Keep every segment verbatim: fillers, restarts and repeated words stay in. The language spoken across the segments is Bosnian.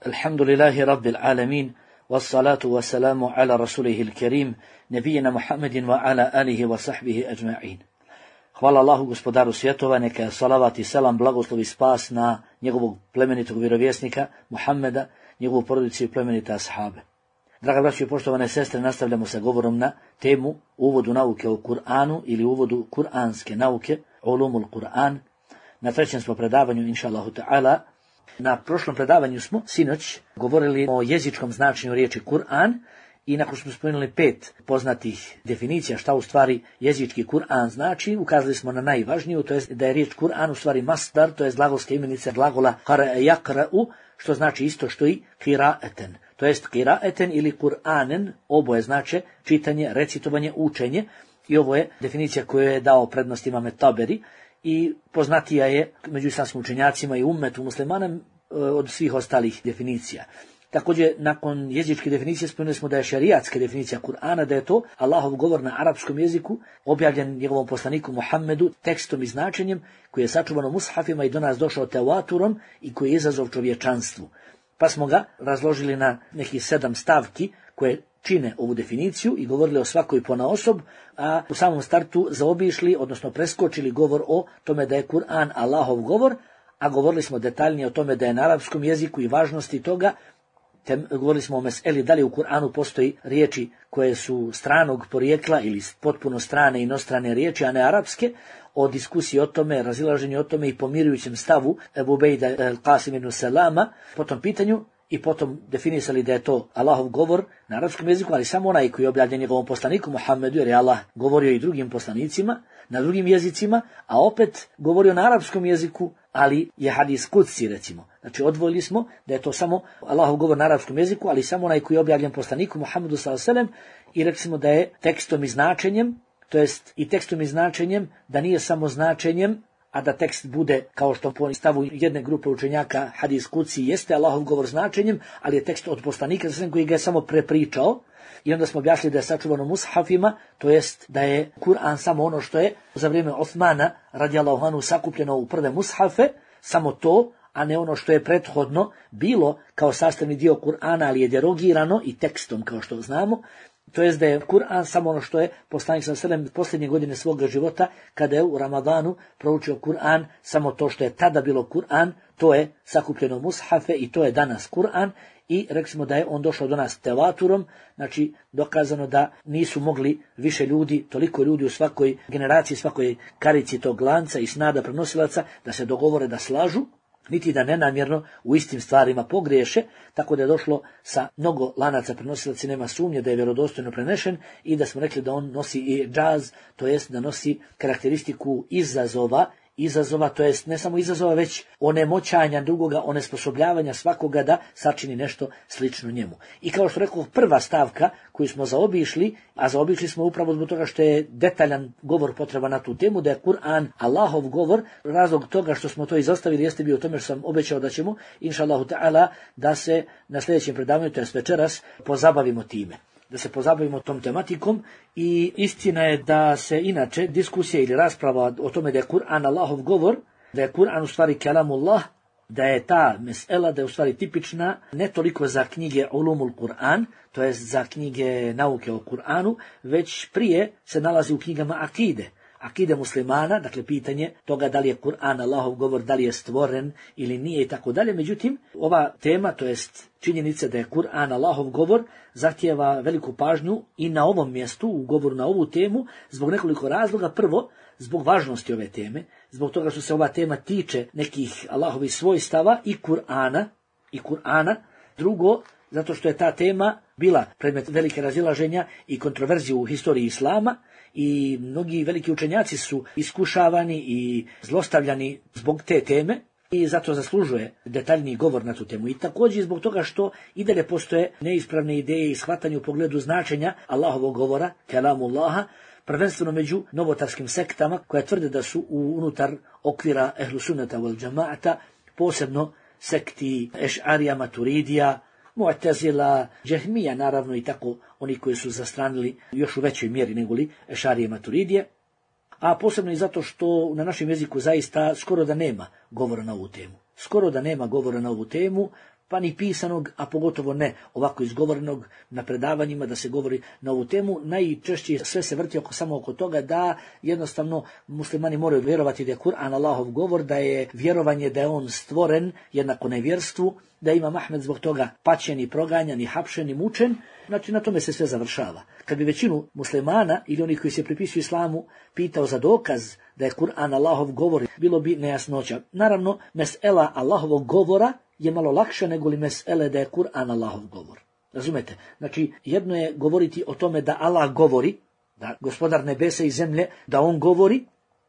Alhamdulillahi Rabbil Alamin, wassalatu wassalamu ala rasulihil kerim, nebijina Muhammedin wa ala alihi wa sahbihi ajma'in. Hvala Allahu gospodaru svjetova, neka je salavat i selam, blagoslov i spas na njegovog plemenitog vjerovjesnika Muhammeda, njegovu porodicu i plemenite ashabe. Draga braćo i poštovane sestre, nastavljamo sa govorom na temu uvodu nauke o Kur'anu ili uvodu kuranske nauke, ulumul Kur'an. Na trećem smo predavanju, inša Allahu ta'ala. Na prošlom predavanju smo sinoć govorili o jezičkom značenju riječi Kur'an i nakon što smo spomenuli pet poznatih definicija šta u stvari jezički Kur'an znači, ukazali smo na najvažniju, to jest da je riječ Kur'an u stvari masdar, to jest glagolska imenica glagola qara'a yaqra'u, što znači isto što i qira'atan. To jest qira'atan ili Kur'anen, oboje znače čitanje, recitovanje, učenje, i ovo je definicija koju je dao prednost Imam Taberi i poznatija je među islamskim učenjacima i ummetu muslimana od svih ostalih definicija. Također, nakon jezičke definicije spomenuli smo da je šerijatska definicija Kur'ana, da je to Allahov govor na arapskom jeziku, objavljen njegovom poslaniku Muhammedu tekstom i značenjem, koji je sačuvan u mushafima i do nas došao tevaturom i koji je izazov čovječanstvu. Pa smo ga razložili na nekih sedam stavki koje čine ovu definiciju i govorili o svakoj ponaosob, a u samom startu zaobišli, odnosno preskočili govor o tome da je Kur'an Allahov govor, a govorili smo detaljnije o tome da je na arapskom jeziku i važnosti toga. Te govorili smo o meseli da li u Kur'anu postoji riječi koje su stranog porijekla ili potpuno strane inostrane riječi, a ne arapske, o diskusiji o tome, razilaženju o tome i pomirujućem stavu Ebu Bejda al-Qasim ibn Salama po tom pitanju, i potom definisali da je to Allahov govor na arapskom jeziku, ali samo onaj koji je objavljen njegovom poslaniku Muhammedu, jer je Allah govorio i drugim poslanicima na drugim jezicima, a opet govorio na arapskom jeziku, ali je hadis kudsi, recimo. Znači odvojili smo da je to samo Allahov govor na arapskom jeziku, ali samo onaj koji je objavljen poslaniku Muhammedu sallallahu alejhi ve sellem, i rekli smo da je tekstom i značenjem, to jest i tekstom i značenjem, da nije samo značenjem, a da tekst bude, kao što po stavu jedne grupe učenjaka hadis kudsi jeste Allahov govor značenjem, ali je tekst od poslanika koji ga je samo prepričao. I onda smo objasnili da je sačuvano mushafima, to jest da je Kur'an samo ono što je za vrijeme Osmana radijallahu anhu sakupljeno u prve mushafe, samo to, a ne ono što je prethodno bilo kao sastavni dio Kur'ana, ali je derogirano i tekstom, kao što znamo. To jest da je Kur'an samo ono što je poslanik sallallahu alejhi ve sellem posljednje godine svoga života, kada je u Ramadanu proučio Kur'an, samo to što je tada bilo Kur'an, to je sakupljeno mushafe i to je danas Kur'an. I rekli smo da je on došao do nas tevaturom, znači dokazano da nisu mogli više ljudi, toliko ljudi u svakoj generaciji, svakoj karici tog lanca i snada prenosilaca, da se dogovore da slažu, niti da nenamjerno u istim stvarima pogriješe, tako da je došlo sa mnogo lanaca prenosilaca, nema sumnje da je vjerodostojno prenešen, i da smo rekli da on nosi i džaz, to jest da nosi karakteristiku izazova, izazova, to jest ne samo izazova, već onemoćanja drugoga, onesposobljavanja svakoga da sačini nešto slično njemu. I kao što rekao, prva stavka koju smo zaobišli, a zaobišli smo upravo zbog toga što je detaljan govor potreba na tu temu, da je Kur'an Allahov govor. Razlog toga što smo to izostavili jeste bio u tome što sam obećao da ćemo, inša Allahu ta'ala, da se na sljedećem predavanju, to jest večeras, pozabavimo time. Da se pozabavimo tom tematikom. I istina je da se inače diskusija ili rasprava o tome da je Kur'an Allahov govor, da je Kur'an u stvari kelamullah, da je ta mesela, da je u stvari tipična ne toliko za knjige ulumul Kur'an, to jest za knjige nauke o Kur'anu, već prije se nalazi u knjigama akide. Akide muslimana, dakle pitanje toga da li je Kur'an Allahov govor, da li je stvoren ili nije i tako dalje. Međutim, ova tema, to jest činjenica da je Kur'an Allahov govor, zahtijeva veliku pažnju i na ovom mjestu, u govoru na ovu temu, zbog nekoliko razloga. Prvo, zbog važnosti ove teme, zbog toga što se ova tema tiče nekih Allahovih svojstava i Kur'ana, i Kur'ana. Drugo, zato što je ta tema bila predmet velike razilaženja i kontroverzije u historiji Islama, i mnogi veliki učenjaci su iskušavani i zlostavljani zbog te teme, i zato zaslužuje detaljniji govor na tu temu. I također zbog toga što i dalje postoje neispravne ideje i shvatanje u pogledu značenja Allahovog govora, kelamullaha, prvenstveno među novotarskim sektama koje tvrde da su unutar okvira ehlu sunnata wal džamaata, posebno sekti Eš'arija, Maturidija, Mu'tazila, Džehmija, naravno, i tako oni koji su zastranili još u većoj mjeri negoli Eš'arije, Maturidije, a posebno i zato što na našem jeziku zaista skoro da nema govora na ovu temu. Skoro da nema govora na ovu temu, pa ni pisanog, a pogotovo ne ovako izgovorenog na predavanjima da se govori na ovu temu. Najčešće sve se vrti oko, samo oko toga da jednostavno muslimani moraju vjerovati da je Kur'an Allahov govor, da je vjerovanje da je on stvoren jednako nevjerstvu, da ima Ahmed zbog toga paćen i proganjan i hapšen i mučen. Znači na tome se sve završava. Kad bi većinu muslimana ili onih koji se pripisuju islamu pitao za dokaz da je Kur'an Allahov govor, bilo bi nejasnoća. Naravno, mesela Allahovog govora je malo lakše nego li mesele da je Kur'an Allahov govor. Razumete? Znači, jedno je govoriti o tome da Allah govori, da gospodar nebesa i zemlje, da on govori,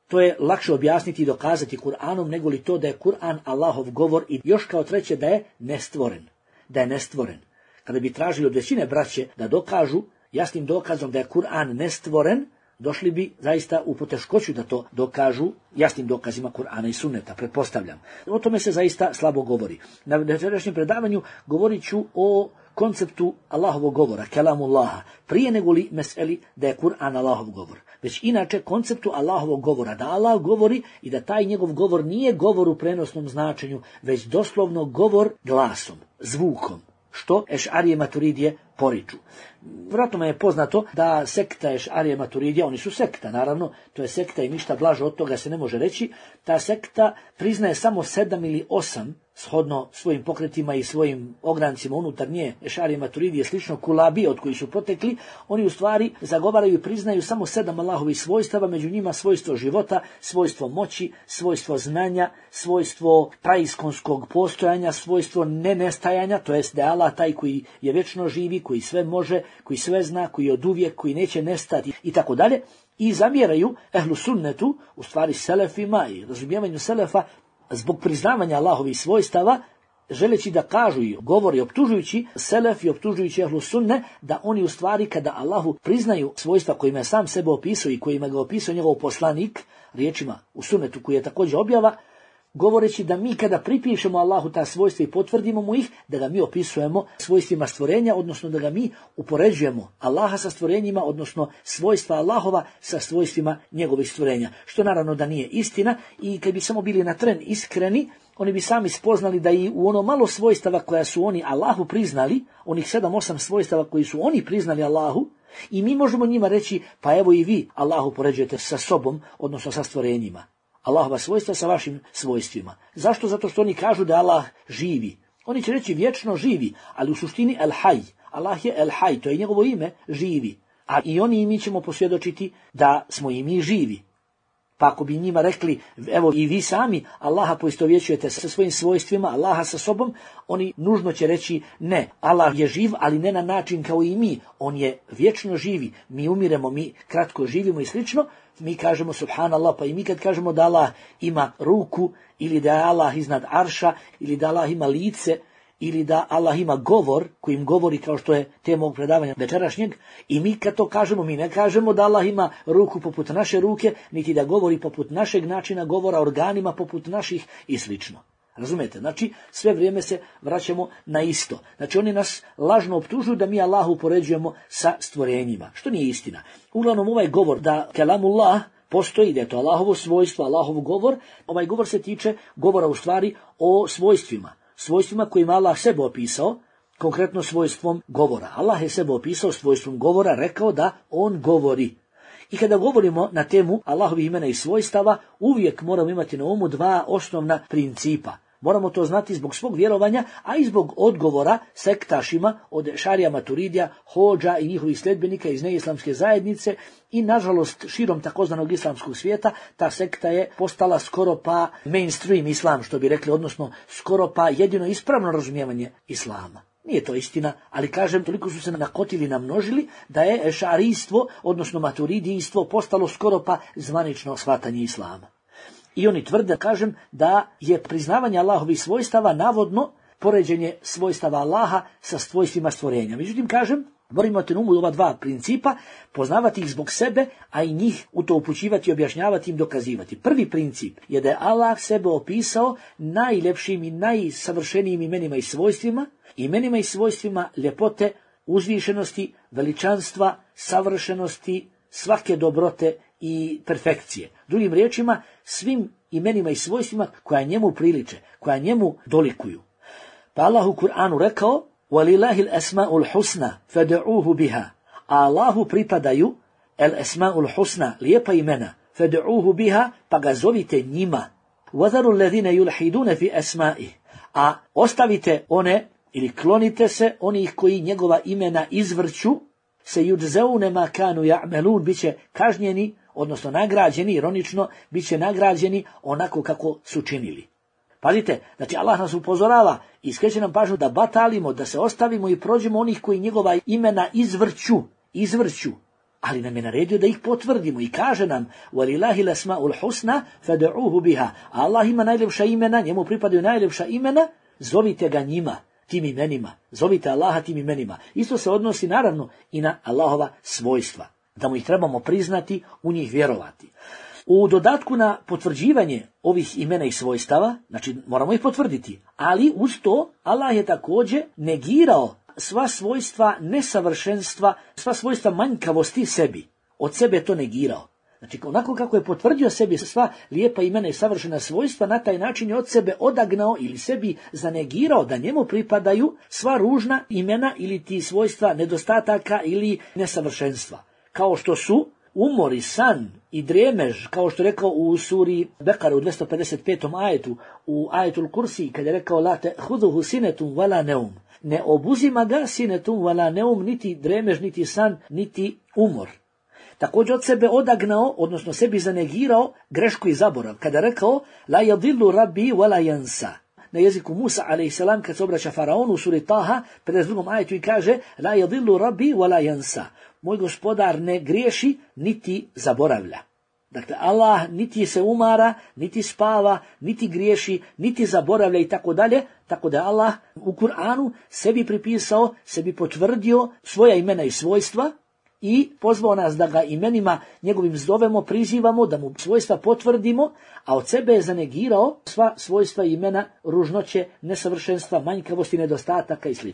to je lakše objasniti i dokazati Kur'anom nego li to da je Kur'an Allahov govor i još kao treće da je nestvoren. Da je nestvoren. Kada bi tražili od većine braće da dokažu jasnim dokazom da je Kur'an nestvoren, došli bi zaista u poteškoću da to dokažu jasnim dokazima Kur'ana i sunneta, pretpostavljam. O tome se zaista slabo govori. Na večerašnjem predavanju govorit ću o konceptu Allahovog govora, kelamullaha, prije nego li meseli da je Kur'an Allahov govor. Već inače konceptu Allahovog govora, da Allah govori i da taj njegov govor nije govor u prenosnom značenju, već doslovno govor glasom, zvukom, što Ešarije Maturidije poriču. Vjerojatno je poznato da sekta Ešarije Maturidija, oni su sekta, naravno, to je sekta i ništa blaže od toga se ne može reći, ta sekta priznaje samo sedam ili osam, shodno svojim pokretima i svojim ograncima unutar nje, Ešarije Maturidije, slično Kulabi od koji su potekli, oni u stvari zagovaraju i priznaju samo sedam Allahovih svojstava, među njima svojstvo života, svojstvo moći, svojstvo znanja, svojstvo praiskonskog postojanja, svojstvo nenestajanja, to jest da je Allah taj koji je vječno živi, koji sve može, koji sve zna, koji je oduvijek, koji neće nestati i tako dalje. I zamjeraju ehlu sunnetu, u stvari selefima i razumijevanju selefa, zbog priznavanja Allahovih svojstava, želeći da kažu i govori optužujući selef i optužujući ehlu sunne, da oni u stvari kada Allahu priznaju svojstva kojima je sam sebe opisao i kojima ga opisao njegov poslanik, riječima u sunnetu koji je također objava, govoreći da mi kada pripišemo Allahu ta svojstva i potvrdimo mu ih, da ga mi opisujemo svojstvima stvorenja, odnosno da ga mi upoređujemo Allaha sa stvorenjima, odnosno svojstva Allahova sa svojstvima njegovih stvorenja. Što naravno da nije istina i kad bi samo bili na tren iskreni, oni bi sami spoznali da i u ono malo svojstava koja su oni Allahu priznali, onih sedam osam svojstava koji su oni priznali Allahu, i mi možemo njima reći, pa evo i vi Allahu poređujete sa sobom, odnosno sa stvorenjima. Allahova svojstva sa vašim svojstvima. Zašto? Zato što oni kažu da Allah živi. Oni će reći vječno živi, ali u suštini El Haj. Allah je El Haj, to je njegovo ime, živi. A i oni i mi ćemo posvjedočiti da smo i mi živi. Pa ako bi njima rekli, evo i vi sami Allaha poistovjećujete sa svojim svojstvima, Allaha sa sobom, oni nužno će reći ne, Allah je živ, ali ne na način kao i mi. On je vječno živi, mi umiremo, mi kratko živimo i slično. Mi kažemo subhanallah, pa i mi kad kažemo da Allah ima ruku, ili da je Allah iznad arša, ili da Allah ima lice, ili da Allah ima govor, kojim govori kao što je tema ovog predavanja večerašnjeg, i mi kad to kažemo, mi ne kažemo da Allah ima ruku poput naše ruke, niti da govori poput našeg načina govora, organima poput naših i slično. Razumete? Znači, sve vrijeme se vraćamo na isto. Znači, oni nas lažno optužuju da mi Allahu upoređujemo sa stvorenjima, što nije istina. Uglavnom, ovaj govor da kelamullah postoji, da je to Allahovo svojstvo, Allahov govor, ovaj govor se tiče govora u stvari o svojstvima. Svojstvima kojima Allah sebe opisao, konkretno svojstvom govora. Allah je sebe opisao svojstvom govora, rekao da on govori. I kada govorimo na temu Allahovih imena i svojstava, uvijek moramo imati na umu dva osnovna principa. Moramo to znati zbog svog vjerovanja, a i zbog odgovora sektašima od Ešarija Maturidija, Hodža i njihovih sljedbenika iz neislamske zajednice i nažalost širom takozvanog islamskog svijeta ta sekta je postala skoro pa mainstream islam, što bi rekli, odnosno skoro pa jedino ispravno razumijevanje islama. Nije to istina, ali kažem, toliko su se nakotili, namnožili, da je ešarijstvo, odnosno maturidijstvo, postalo skoro pa zvanično shvatanje islama. I oni tvrde, kažem, da je priznavanje Allahovih svojstava navodno poređenje svojstava Allaha sa svojstvima stvorenja. Međutim, kažem, moramo imati na umu ova dva principa, poznavati ih zbog sebe, a i njih u to upućivati, objašnjavati im, dokazivati. Prvi princip je da je Allah sebe opisao najljepšim i najsavršenijim imenima i svojstvima, imenima i svojstvima ljepote, uzvišenosti, veličanstva, savršenosti, svake dobrote i perfekcije. Drugim riječima, svim imenima i svojstvima koja njemu priliče, koja njemu dolikuju. Pa Allah u Kur'anu rekao: وَلِلَهِ الْأَسْمَاءُ الْحُسْنَ فَدَعُوهُ بِهَا. A Allahu pripadaju el esma'ul husna, lijepa imena, fad'uhu biha, pa ga zovite njima. وَذَرُوا الَّذِينَ يُلْحِدُونَ فِي أَسْمَائِهِ. A ostavite one, ili klonite se onih koji njegova imena izvrću, se yujzauna ma kanu ya'malun, biće kažnjeni, odnosno nagrađeni, ironično, biće nagrađeni onako kako su činili. Pazite, znači Allah nas upozorava i skreće nam pažnju da batalimo, da se ostavimo i prođemo onih koji njegova imena izvrću, izvrću. Ali nam je naredio da ih potvrdimo i kaže nam: وَلِلَهِ الْأَسْمَاءُ الْحُسْنَ فَدْعُوهُ بِهَا. Allah ima najljepša imena, njemu pripadaju najljepša imena, zovite ga njima, tim imenima. Zovite Allaha tim imenima. Isto se odnosi naravno i na Allahova svojstva, da mu ih trebamo priznati, u njih vjerovati. U dodatku na potvrđivanje ovih imena i svojstava, znači moramo ih potvrditi, ali uz to Allah je također negirao sva svojstva nesavršenstva, sva svojstva manjkavosti sebi. Od sebe je to negirao. Znači, onako kako je potvrdio sebi sva lijepa imena i savršena svojstva, na taj način je od sebe odagnao ili sebi zanegirao da njemu pripadaju sva ružna imena ili ti svojstva nedostataka ili nesavršenstva. Kao što su umor i san i dremež, kao što je rekao u suri Bekara u dvjesto pedeset petom ajetu, u ajetul Kursi, kada je rekao: la ta'khudhuhu sinetun wala neum. Ne obuzima ga sinetun wala neum, niti dremež, niti san, niti umor. Također od sebe odagnao, odnosno sebi zanegirao grešku i zaborav, kada je rekao: la yadillu rabbi wala yansa. Na jeziku Musa alejhi selam, kad se obraća faraonu u suri Taha, pedeset drugom ajetu, i kaže: la yadillu rabbi wala yansa. Moj gospodar ne griješi niti zaboravlja. Dakle, Allah niti se umara, niti spava, niti griješi, niti zaboravlja i tako dalje. Tako da Allah u Kur'anu sebi pripisao, sebi potvrdio svoja imena i svojstva i pozvao nas da ga imenima njegovim zovemo, prizivamo, da mu svojstva potvrdimo, a od sebe je zanegirao sva svojstva i imena ružnoće, nesavršenstva, manjkavosti, nedostataka i sl.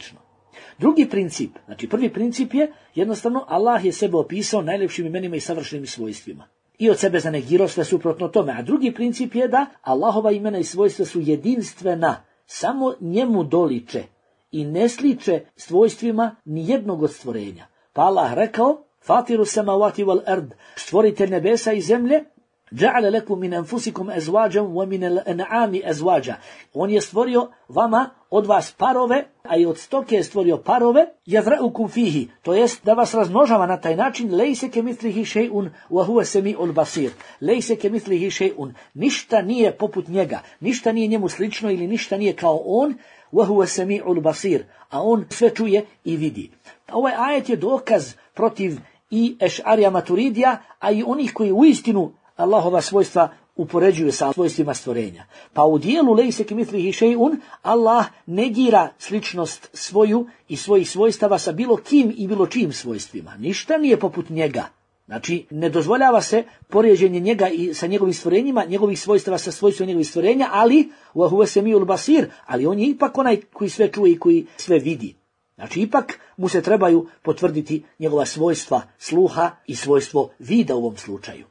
Drugi princip, znači prvi princip je jednostavno Allah je sebe opisao najljepšim imenima i savršenim svojstvima i od sebe zanegirao sve suprotno tome. A drugi princip je da Allahova imena i svojstva su jedinstvena, samo njemu doliče i ne sliče svojstvima ni jednog od stvorenja. Pa Allah rekao: Fatiru samawati wal ard, stvoritelj nebesa i zemlje, ja'ala lakum min anfusikum azwajan wa min al-an'ami azwaja. On je stvorio vama od vas parove, a i od stoke je stvorio parove, yazra'ukum fihi, to jest da vas razmnožava na taj način. Lejse kemithlihi shay'un wa huwa sami'ul basir. Lejse kemithlihi shay'un, ništa nije poput njega, ništa nije njemu slično ili ništa nije kao on, wa huwa sami'ul basir, a on sve čuje i vidi. Ovaj ajet je dokaz protiv i Eš'arija Maturidija, a i onih koji uistinu Allahova svojstva upoređuju sa svojstvima stvorenja. Pa u dijelu lejse kemithlihi shay'un Allah negira sličnost svoju i svojih svojstava sa bilo kim i bilo čijim svojstvima. Ništa nije poput njega. Znači, ne dozvoljava se poređenje njega i sa njegovim stvorenjima, njegovih svojstava sa svojstvom njegovih stvorenja, ali wa huwa samiul basir, ali on je ipak onaj koji sve čuje i koji sve vidi. Znači, ipak mu se trebaju potvrditi njegova svojstva sluha i svojstvo vida u ovom slučaju.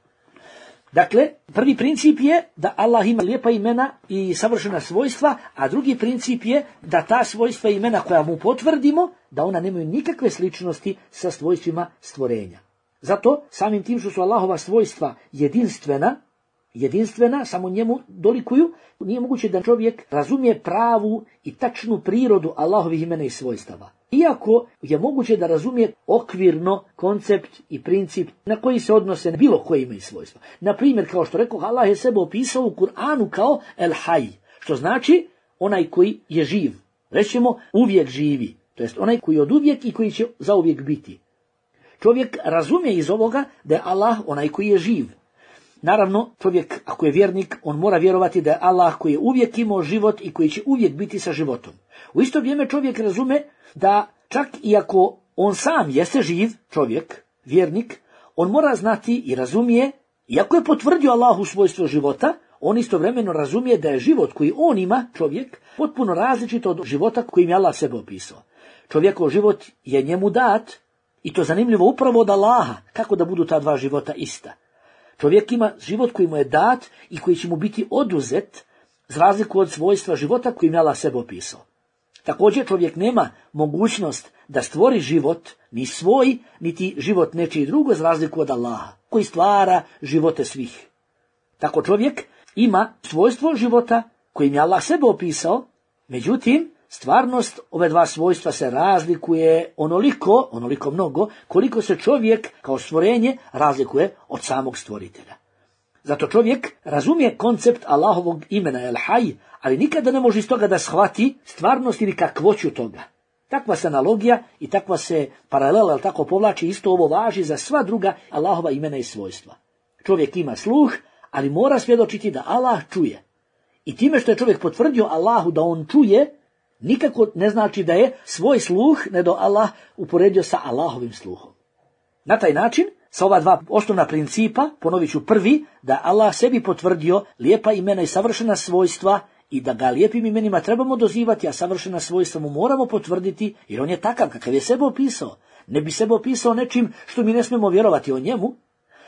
Dakle, prvi princip je da Allah ima lijepa imena i savršena svojstva, a drugi princip je da ta svojstva i imena koja mu potvrdimo, da ona nemaju nikakve sličnosti sa svojstvima stvorenja. Zato, samim tim što su Allahova svojstva jedinstvena, jedinstvena, samo njemu dolikuju, nije moguće da čovjek razumije pravu i tačnu prirodu Allahovih imena i svojstava. Iako je moguće da razumije okvirno koncept i princip na koji se odnose na bilo koje ime i svojstva. Na primjer, kao što rekao, Allah je sebe opisao u Kur'anu kao El Haj, što znači onaj koji je živ. Rećemo uvijek živi, to jest onaj koji je od uvijek i koji će zauvijek biti. Čovjek razumije iz ovoga da je Allah onaj koji je živ. Naravno, čovjek, ako je vjernik, on mora vjerovati da je Allah koji je uvijek imao život i koji će uvijek biti sa životom. U isto vrijeme čovjek razume da čak i ako on sam jeste živ, čovjek, vjernik, on mora znati i razumije, iako je potvrdio Allahu svojstvo života, on istovremeno razumije da je život koji on ima, čovjek, potpuno različit od života kojim je Allah sebe opisao. Čovjekov život je njemu dat, i to zanimljivo upravo od Allaha, kako da budu ta dva života ista. Čovjek ima život koji mu je dat i koji će mu biti oduzet, za razliku od svojstva života kojim je Allah sebe opisao. Također čovjek nema mogućnost da stvori život, ni svoj, niti život nečiji drugo, za razliku od Allaha, koji stvara živote svih. Tako čovjek ima svojstvo života kojim je Allah sebe opisao, međutim, stvarnost ove dva svojstva se razlikuje onoliko, onoliko mnogo, koliko se čovjek kao stvorenje razlikuje od samog stvoritelja. Zato čovjek razumije koncept Allahovog imena El Haj, ali nikada ne može iz toga da shvati stvarnost ili kakvoću toga. Takva se analogija i takva se paralela, ali tako povlači, isto ovo važi za sva druga Allahova imena i svojstva. Čovjek ima sluh, ali mora svjedočiti da Allah čuje. I time što je čovjek potvrdio Allahu da on čuje, nikako ne znači da je svoj sluh, ne do Allah, uporedio sa Allahovim sluhom. Na taj način, sa ova dva osnovna principa, ponovit ću prvi, da Allah sebi potvrdio lijepa imena i savršena svojstva i da ga lijepim imenima trebamo dozivati, a savršena svojstva mu moramo potvrditi, jer on je takav kakav je sebe opisao. Ne bi sebe opisao nečim što mi ne smemo vjerovati o njemu.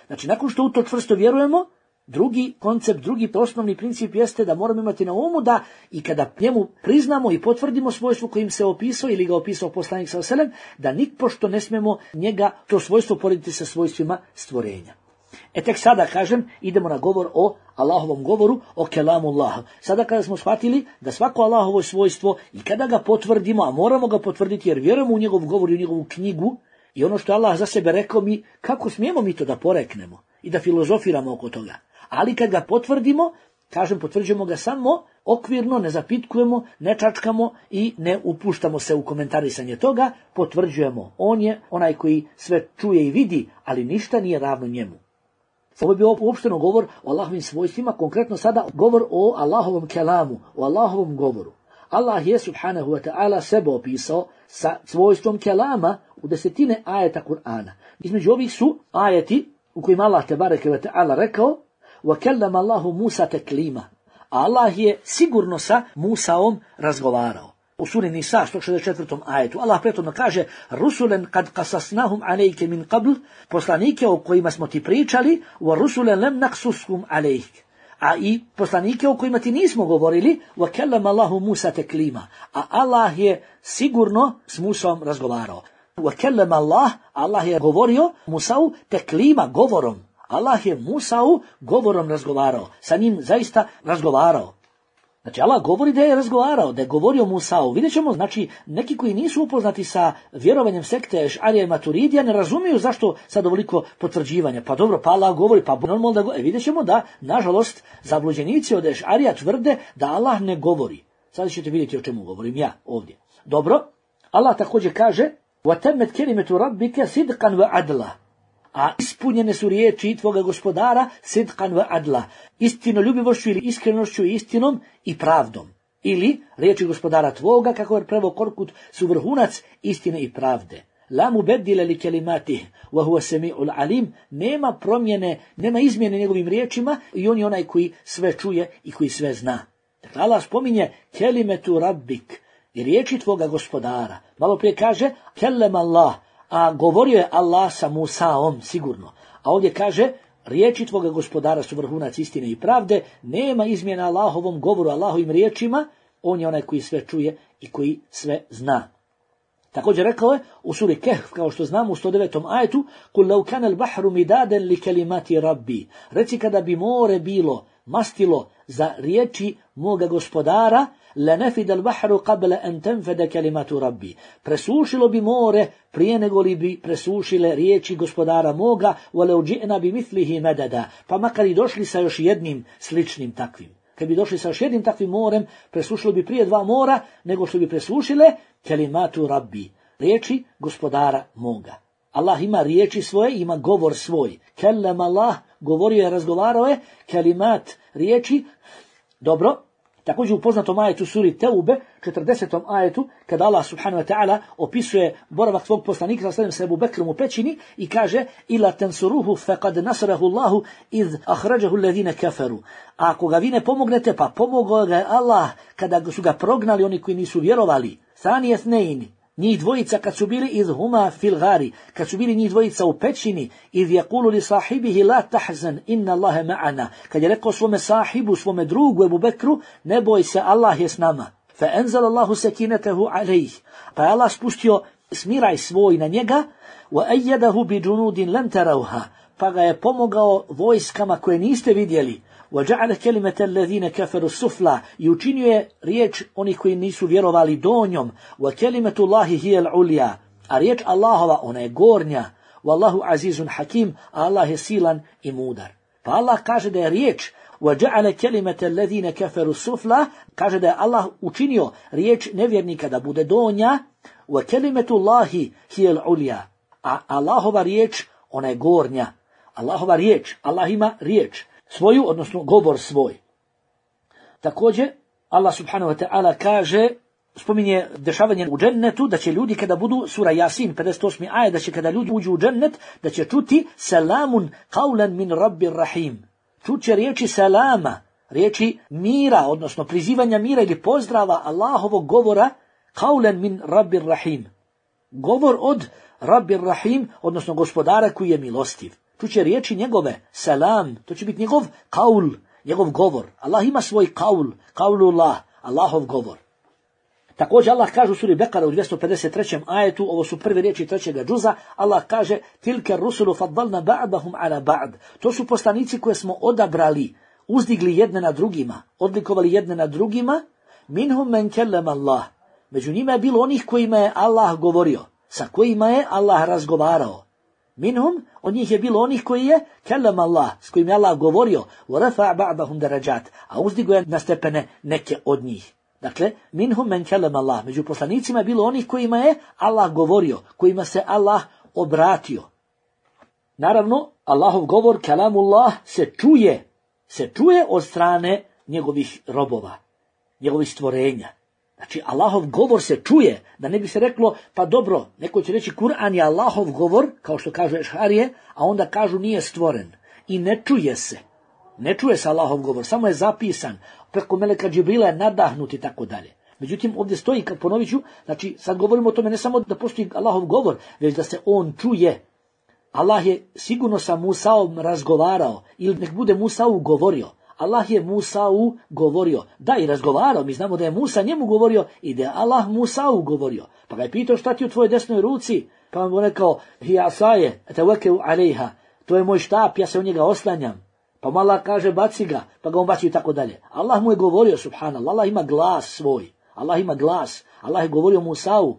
Znači, nakon što u to čvrsto vjerujemo, drugi koncept, drugi osnovni princip jeste da moramo imati na umu da i kada njemu priznamo i potvrdimo svojstvo kojim se opisao ili ga opisao poslanik sallallahu alejhi ve sellem, da nikpošto ne smemo njega to svojstvo porediti sa svojstvima stvorenja. E tek sada, kažem, idemo na govor o Allahovom govoru, o kelamullah. Sada kada smo shvatili da svako Allahovo svojstvo i kada ga potvrdimo, a moramo ga potvrditi jer vjerujemo u njegov govor i u njegovu knjigu i ono što je Allah za sebe rekao, mi kako smijemo mi to da poreknemo i da filozofiramo oko toga. Ali kad ga potvrdimo, kažem, potvrđujemo ga samo okvirno, ne zapitkujemo, ne čačkamo i ne upuštamo se u komentarisanje toga, potvrđujemo. On je onaj koji sve čuje i vidi, ali ništa nije ravno njemu. Ovo je bio uopšteno govor o Allahovim svojstvima, konkretno sada govor o Allahovom kelamu, o Allahovom govoru. Allah je subhanahu wa ta'ala sebe opisao sa svojstvom kelama u desetine ajeta Kur'ana. Između ovih su ajeti u kojima Allah tebareke ve ta'ala rekao وَكَلَّمَ اللَّهُ مُوسَى تَكْلِيمًا. Allah je sigurno sa Musaom razgovarao. U suri Nisa sto šezdeset četvrtom ajetu Allah prethodno kaže rusulen kad qasasnahum alejke min qabl, poslanike o kojima smo ti pričali, wa rusulen lem naqsushum alejk, a i poslanike o kojima ti nismo govorili, wa kallama Allahu Musa taklima, a Allah je sigurno s Musom razgovarao. Wa kallama Allah, Allah je govorio Musau taklima, govorom. Allah je Musau govorom razgovarao, sa njim zaista razgovarao. Znači, Allah govori da je razgovarao, da je govorio Musau. Vidjet ćemo, znači, neki koji nisu upoznati sa vjerovanjem sekte Ešarija i Maturidija ne razumiju zašto sad ovoliko potvrđivanja. Pa dobro, pa Allah govori, pa normalno da govori. E, vidjet ćemo da, nažalost, zabluđenici od Ešarija tvrde da Allah ne govori. Sad ćete vidjeti o čemu govorim ja ovdje. Dobro, Allah također kaže وَتَمَّتْ كَلِمَةُ رَبِّكَ صِدْقًا وَعَدْلًا. A ispunjene su riječi tvoga gospodara sidqan wa adla, istinoljubivošću ili iskrenošću i istinom i pravdom. Ili riječi gospodara tvoga, kako je preveo Korkut, su vrhunac istine i pravde. La mubeddile li kelimatih, wa huwa sami'ul alim, nema promjene, nema izmjene njegovim riječima i on je onaj koji sve čuje i koji sve zna. Dakle, Allah spominje kelimetu rabbik i riječi tvoga gospodara. Malo prije kaže kellem Allah, a govorio je Allah sa Musaom, sigurno. A ovdje kaže, riječi tvoga gospodara su vrhunac istine i pravde, nema izmjena Allahovom govoru, Allahovim riječima, on je onaj koji sve čuje i koji sve zna. Također rekao je u suri Kehf, kao što znamo u sto devetom ajetu, kul law kana al-bahru midadan li kalimati rabbi. Reci kada bi more bilo mastilo za riječi moga gospodara, لَنَفِدَ الْبَحْرُ قَبْلَ أَنْ تَنْفَدَ كَلِمَةُ رَبِّي. Presušilo bi more prije nego li bi presušile riječi gospodara moga, وَلَوْ جِئْنَا بِمِثْلِهِ مَدَدًا. Pa makar i došli sa još jednim sličnim takvim. Kad bi došli sa još jednim takvim morem, presušilo bi prije dva mora nego što bi presušile kelimatu rabbi, riječi gospodara moga. Allah ima riječi svoje, ima govor svoj. Kellem Allah, govorio je, razgovarao je, kelimat, riječi. Dobro. Također u poznatom ajetu suri Teube, četrdesetom ajetu, kada Allah subhanahu wa ta'ala opisuje boravak svog poslanika sallallahu alejhi ve sellem s Ebu Bekrom u pećini i kaže ila tansuruhu faqad nasarahu Allahu iz akhrajahu alladhina kafaru. A ako ga vi ne pomognete, pa pomogao ga je Allah kada su ga prognali oni koji nisu vjerovali. Thani ithnain, njih dvojica kad su bili iz huma fil gari, kad su bili njih dvojica u pećini, iz yaqulu li sahibihi la tahzan inna Allaha ma'ana, kad je rekao svome sahibu, svome drugu Ebu Bekru, ne boj se, Allah je s nama. fa enzal Allahu sakinatahu alayh, pa je Allah spustio smiraj svoj na njega, wa ayyadahu bi junudin lam tarawha, pa ga je pomogao vojskama koje niste vidjeli, wa ja'ala kalimata alladhina kafaru sufla, i učinio je riječ onih koji nisu vjerovali donjom, wa kalimatu Allahi hiya al-ulya, a riječ Allahova ona je gornja, wallahu azizun hakim, a Allah je silan i mudar. Pa Allah kaže da je riječ وَجَعَلَ كَلِمَةَ الَّذِينَ كَفَرُوا السُّفْلَى, kaže da je Allah učinio riječ nevjernika da bude donja, وَكَلِمَةُ اللَّهِ هِيَ الْعُلْيَا, a Allahova riječ ona je gornja. Allahova riječ, Allah ima riječ svoju, odnosno govor svoj. Također Allah subhanahu wa ta'ala kaže, spominje dešavanje u džennetu, da će ljudi kada budu, sura Jasin pedeset osmi ajet, da će kada ljudi uđu u džennet, da će čuti salamun qawlan min rabbir rahim. Čuće riječi salama, riječi mira, odnosno prizivanja mira ili pozdrava Allahovog govora, qawlan min rabbir rahim. Govor od rabbir rahim, odnosno gospodara koji je milostiv. Čuće riječi njegove, salam, to će biti njegov qaul, njegov govor. Allah ima svoj qaul, qaulullah, Allahov govor. Također Allah kaže u suri Bekara u dvjesto pedeset trećem ajetu, ovo su prve riječi trećega džuza, Allah kaže tilka rusulu faddalna ba'dahum ala ba'd. To su poslanici koje smo odabrali, uzdigli jedne na drugima, odlikovali jedne na drugima, minhum men kellama Allah. Među njima je bilo onih kojima je Allah govorio, sa kojima je Allah razgovarao. Minhum, od njih je bilo onih koji je kellama Allah, s kojima je Allah govorio, wa rafa' ba'dahum darajat, a uzdigo je na stepene neke od njih. Dakle, minhum men kellama Allah, među poslanicima je bilo onih kojima je Allah govorio, kojima se Allah obratio. Naravno, Allahov govor, kalamullah, se čuje, se čuje od strane njegovih robova, njegovih stvorenja. Znači, Allahov govor se čuje, da ne bi se reklo, pa dobro, neko će reći Kur'an je Allahov govor, kao što kažu Ešarije, a onda kažu nije stvoren. I ne čuje se. Ne čuje se Allahov govor, samo je zapisan, preko meleka Džibrila je nadahnut i tako dalje. Međutim, ovdje stoji, kad ponovit ću, znači sad govorimo o tome ne samo da postoji Allahov govor, već da se on čuje. Allah je sigurno sa Musaom razgovarao, ili nek bude Musau govorio. Allah je Musau govorio, da i razgovarao, mi znamo da je Musa njemu govorio i da je Allah Musau govorio. Pa ga je pitao šta ti u tvojoj desnoj ruci, pa vam je rekao, hi asaje, tawakkalu alejha, to je moj štap, ja se u njega oslanjam. Pa mu Allah kaže baci ga, pa ga on baci i tako dalje. Allah mu je govorio, subhanallah, Allah ima glas svoj, Allah ima glas, Allah je govorio Musau.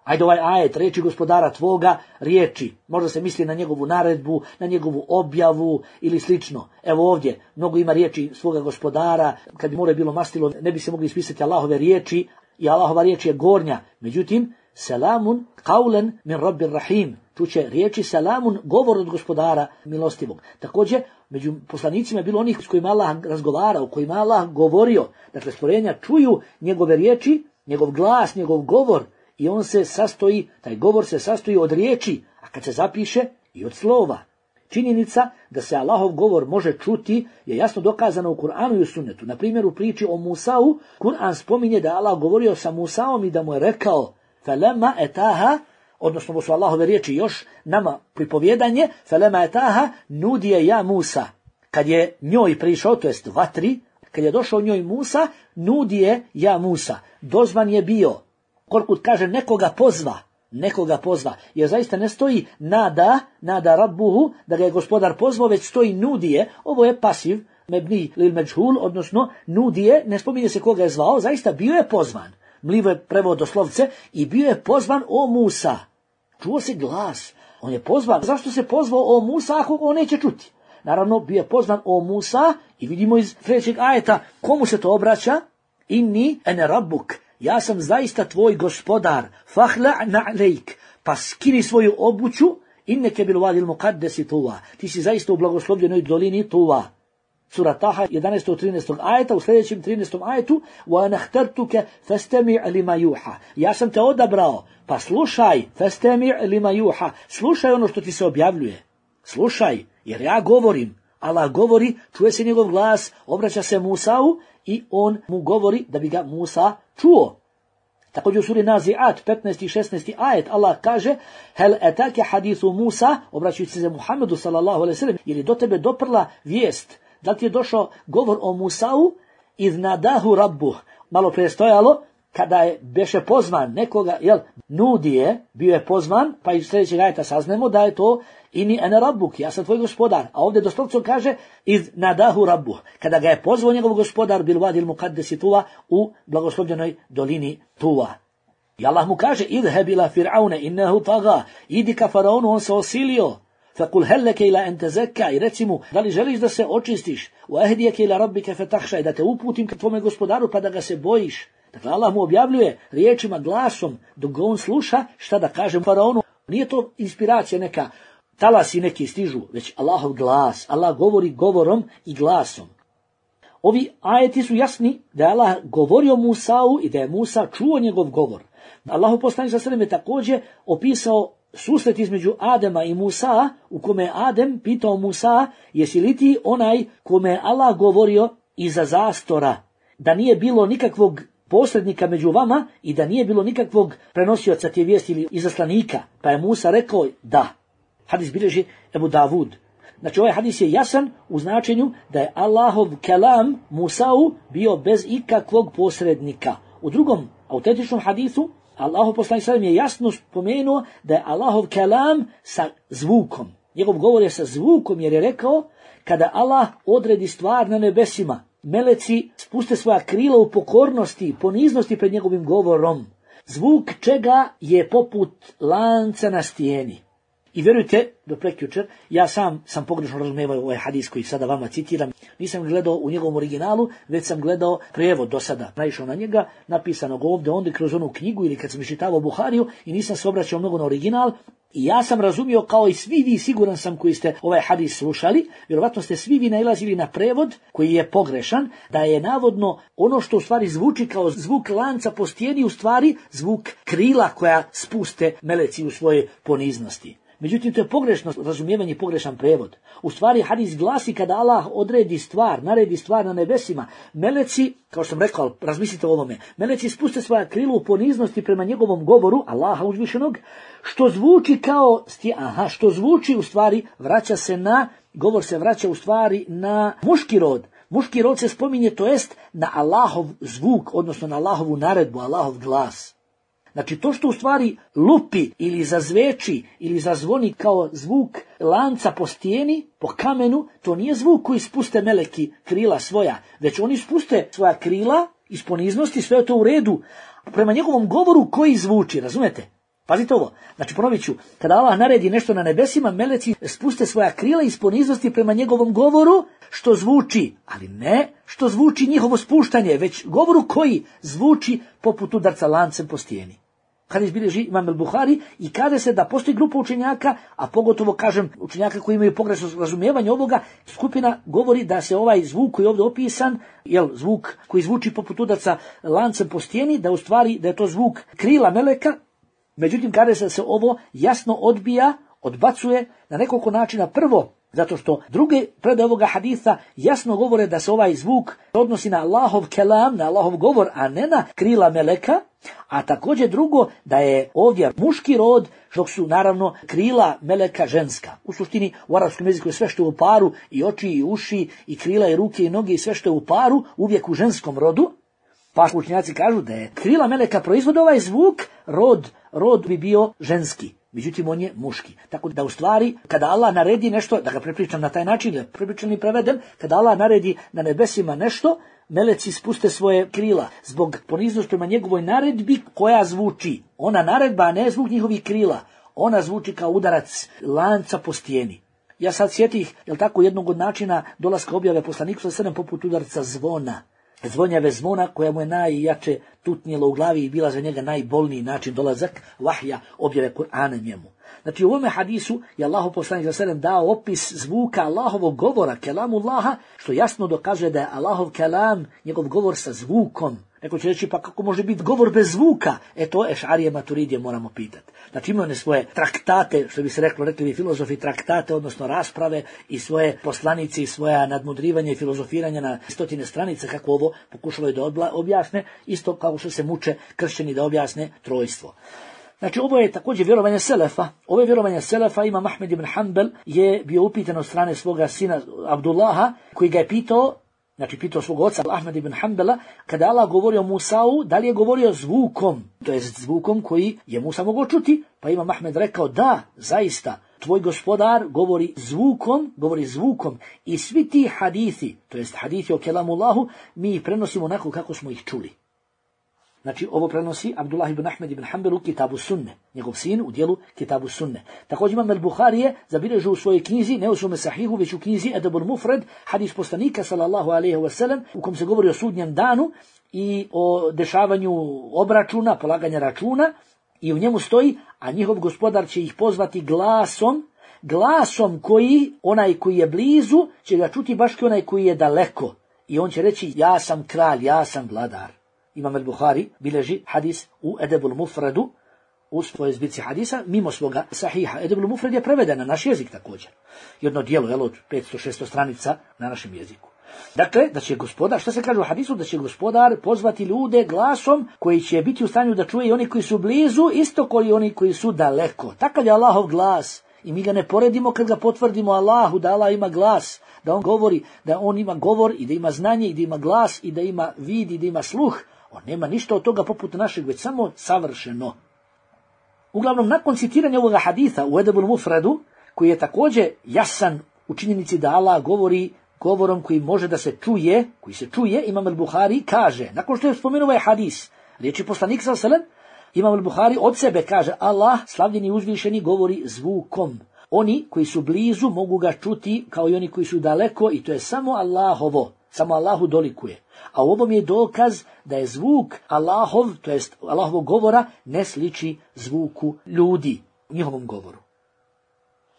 Ajde ovaj ajet, riječi gospodara tvoga, riječi, možda se misli na njegovu naredbu, na njegovu objavu ili slično. Evo ovdje, mnogo ima riječi svoga gospodara, kad bi more bilo mastilo, ne bi se mogli ispisati Allahove riječi, i Allahova riječ je gornja. Međutim, salamun qawlan min rabbir rahim, čuće riječi salamun, govor od gospodara milostivog. Također, među poslanicima je bilo onih s kojima Allah razgovarao, kojima Allah govorio. Dakle, stvorenja čuju njegove riječi, njegov glas, njegov govor, i on se sastoji, taj govor se sastoji od riječi, a kad se zapiše i od slova. Činjenica da se Allahov govor može čuti je jasno dokazano u Kur'anu i u sunnetu. Na primjer, u priči o Musau, Kur'an spominje da je Allah govorio sa Musaom i da mu je rekao felema etaha, odnosno ovo su Allahove riječi još nama pripovjedanje, felema etaha nudije ja Musa. Kad je njoj prišao, to jest vatri, kad je došao njoj Musa, nudije ja Musa. Dozvan je bio. Koliko kaže nekoga pozva, nekoga pozva, jer zaista ne stoji nada, nada rabbuhu, da ga je gospodar pozvao, već stoji nudije, ovo je pasiv, mebni lil međhul, odnosno nudije, ne spominje se koga je zvao, zaista bio je pozvan. Mlivo je prevod doslovce, i bio je pozvan o Musa. Čuo se glas, on je pozvan. Zašto se pozvao o Musa ako on neće čuti? Naravno, bio je pozvan o Musa i vidimo iz sljedećeg ajeta komu se to obraća. Inni ene rabbuk, ja sam zaista tvoj gospodar, fahla na'lejk, pa skini svoju obuću, inneke bil vadil muqaddesi tuva, ti si zaista u blagoslovljenoj dolini Tuva. Sura Taha jedanaestog trinaestog ajeta, u sljedećem trinaestom ajetu, wa nahtartuke fastami' lima yuha, ja sam te odabrao, pa slušaj, fastami' lima yuha, slušaj ono što ti se objavljuje, slušaj, jer ja govorim, Allah govori, čuje se njegov glas, obraća se Musau i on mu govori da bi ga Musa čuo. Također u suri Nazi'at, petnaesti i šesnaesti ajet, Allah kaže, hel etake hadithu Musa, obraćajući se Muhammedu sallallahu alejhi ve sellem, jer je do tebe doprla vijest, da ti je došao govor o Musau, iz nadahu rabbuh, malo prije stojalo, kada je beše pozvan nekoga, jel, nudije, bio je pozvan, pa iz sljedećeg ajeta saznemo da je to ini ene rabbuk, ja sam tvoj gospodar. A ovdje doslovno kaže iz nadahu rabbuh, kada ga je pozvao njegov gospodar bil vadil muqaddesi Tuva u blagoslovljenoj dolini Tuva. I Allah mu kaže idheb ila fir'aune innehu taga, idi ka faraonu, on se osilio. Fakul helleke ila ente zekka, i reci mu, da li želiš da se očistiš, u ehdijeke ila rabbike fetahša, i da te uputim ka tvome gospodaru pa da ga se bojiš. Dakle, Allah mu objavljuje riječima, glasom, dok on sluša šta da kaže faraonu. Nije to inspiracija neka, talasi neki stižu, već Allahov glas. Allah govori govorom i glasom. Ovi ajeti su jasni da je Allah govorio Musau i da je Musa čuo njegov govor. Allahu poslanik sallallahu alejhi ve sellem je također opisao susret između Adema i Musa, u kome je Adem pitao Musa, jesi li ti onaj kome je Allah govorio iza zastora, da nije bilo nikakvog posrednika među vama i da nije bilo nikakvog prenosioca te vijesti ili izaslanika. Pa je Musa rekao da. Hadis bilježi Ebu Davud. Znači ovaj hadis je jasan u značenju da je Allahov kelam Musau bio bez ikakvog posrednika. U drugom autentičnom hadisu Allahov poslanik sallallahu alejhi ve sellem je jasno spomenuo da je Allahov kelam sa zvukom. Njegov govor je sa zvukom jer je rekao kada Allah odredi stvar na nebesima, meleci spuste svoja krila u pokornosti, poniznosti pred njegovim govorom. Zvuk čega je poput lanca na stijeni. I vjerujte, do prekjučer, ja sam sam pogrešno razumijevao ovaj hadis koji sada vama citiram. Nisam gledao u njegovom originalu, već sam gledao prijevod do sada. Naišao na njega, napisanog ovdje, onda kroz onu knjigu ili kad sam iščitavao Buhariju i nisam se obraćao mnogo na original. I ja sam razumio kao i svi vi, siguran sam koji ste ovaj hadis slušali, vjerovatno ste svi vi nailazili na prevod koji je pogrešan, da je navodno ono što u stvari zvuči kao zvuk lanca po stijeni u stvari zvuk krila koja spuste meleci u svojoj poniznosti. Međutim, to je pogrešno razumijevanje i pogrešan prevod. U stvari, hadis glasi kada Allah odredi stvar, naredi stvar na nebesima, meleci, kao što sam rekao, razmislite o ovome, meleci spuste svoja krila u poniznosti prema njegovom govoru, Allaha uzvišenog, što zvuči kao, stije, aha, što zvuči u stvari, vraća se na, govor se vraća u stvari na muški rod. Muški rod se spominje, to jest na Allahov zvuk, odnosno na Allahovu naredbu, Allahov glas. Znači to što u stvari lupi ili zazveči ili zazvoni kao zvuk lanca po stijeni, po kamenu, to nije zvuk koji spuste meleki krila svoja, već oni spuste svoja krila iz poniznosti, sve je to u redu, prema njegovom govoru koji zvuči, razumete? Pazite ovo, znači ponovit ću, kada Allah naredi nešto na nebesima, meleci spuste svoja krila iz poniznosti prema njegovom govoru, što zvuči, ali ne što zvuči njihovo spuštanje, već govoru koji zvuči poput udarca lancem po stijeni. Hadis bilježi Imam el-Buhari i kaže se da postoji grupa učenjaka, a pogotovo kažem učenjaka koji imaju pogrešno razumijevanje ovoga, skupina govori da se ovaj zvuk koji je ovdje opisan, jel, zvuk koji zvuči poput udarca lancem po stijeni, da u stvari da je to zvuk krila meleka. Međutim, kaže se da se ovo jasno odbija, odbacuje na nekoliko načina. Prvo, zato što druge predaje ovoga hadisa jasno govore da se ovaj zvuk odnosi na Allahov kelam, na Allahov govor, a ne na krila meleka. A također drugo, da je ovdje muški rod, dok su naravno krila meleka ženska. U suštini u arapskom jeziku je sve što je u paru, i oči, i uši, i krila, i ruke, i noge, i sve što je u paru, uvijek u ženskom rodu. Pa učenjaci kažu da je krila meleka proizvode ovaj zvuk, rod, rod bi bio ženski. Međutim, on je muški. Tako da u stvari, kada Allah naredi nešto, da ga prepričam na taj način, da prepričam i prevedem, kada Allah naredi na nebesima nešto, meleci spuste svoje krila zbog poniznosti prema njegovoj naredbi koja zvuči. Ona naredba, a ne zvuk njihovih krila. Ona zvuči kao udarac lanca po stijeni. Ja sad sjetih, jel tako, jednog od načina dolaska objave poslaniku sallallahu alejhi ve sellem poput udarca zvona. Zvonjave zvona koja mu je najjače tutnjela u glavi i bila za njega najbolniji način dolazak vahja, objave Kur'ana njemu. Znači u ovome hadisu je Allahu poslanik sallallahu alejhi ve sellem dao opis zvuka Allahovog govora, kelamullaha, što jasno dokazuje da je Allahov kelam, njegov govor sa zvukom. Neko će reći, pa kako može biti govor bez zvuka? E to Ešarije Maturidije moramo pitati. Znači imaju one svoje traktate, što bi se reklo, rekli bi filozofi, traktate, odnosno rasprave i svoje poslanice i svoja nadmudrivanja i filozofiranja na stotine stranica, kako ovo pokušavaju da objasne, isto kao što se muče kršćani da objasne trojstvo. Znači ovo je također vjerovanje Selefa. Ovo je vjerovanje Selefa, Imam Ahmed ibn Hanbel je bio upitan od strane svoga sina Abdullaha, koji ga je pitao Znači, pitao svog oca Ahmed ibn Hanbala, kada Allah govorio Musau, da li je govorio zvukom, to je zvukom koji je Musa mogao čuti, pa Imam Ahmed rekao, da, zaista, tvoj gospodar govori zvukom, govori zvukom i svi ti hadithi, to jest hadithi o kelamullahu, mi ih prenosimo onako kako smo ih čuli. Znači, ovo prenosi Abdullah ibn Ahmed ibn Hanbal u Kitabu Sunne, njegov sin u dijelu Kitabu Sunne. Također Imam al-Buhari je zabilježio u svojoj knjizi, ne u svome sahihu, već u knjizi Edebul Mufred, hadis poslanika sallallahu alejhi ve sellem, u kom se govori o sudnjem danu i o dešavanju obračuna, polaganja računa, i u njemu stoji, a njihov gospodar će ih pozvati glasom, glasom koji, onaj koji je blizu, će ga čuti baš kao onaj koji je daleko. I on će reći, ja sam kralj, ja sam vladar. Imam al-Buhari bilježi hadis u Edebul Mufredu, u svojoj zbirci hadisa, mimo svoga sahiha. Edebul Mufred je preveden na naš jezik također. Jedno dijelo, jel, od petsto šesto stranica na našem jeziku. Dakle, da će gospodar, što se kaže u hadisu, da će gospodar pozvati ljude glasom koji će biti u stanju da čuje i oni koji su blizu, isto kao i oni koji su daleko. Takav je Allahov glas i mi ga ne poredimo kad ga potvrdimo Allahu, da Allah ima glas, da on govori, da on ima govor i da ima znanje i da ima glas i da ima vid i da ima sluh. On nema ništa od toga poput našeg, već samo savršeno. Uglavnom, nakon citiranja ovoga haditha u Edebul Mufredu, koji je također jasan u činjenici da Allah govori govorom koji može da se čuje, koji se čuje, Imam al-Buhari kaže, nakon što je spomenuo ovaj hadis, riječi poslanik sallallahu alejhi ve sellem, Imam al-Buhari od sebe kaže, Allah, slavljeni i uzvišeni, govori zvukom. Oni koji su blizu mogu ga čuti kao i oni koji su daleko i to je samo Allahovo, samo Allahu dolikuje. A u ovom je dokaz da je zvuk Allahov, to jest Allahovog govora, ne sliči zvuku ljudi, njihovom govoru.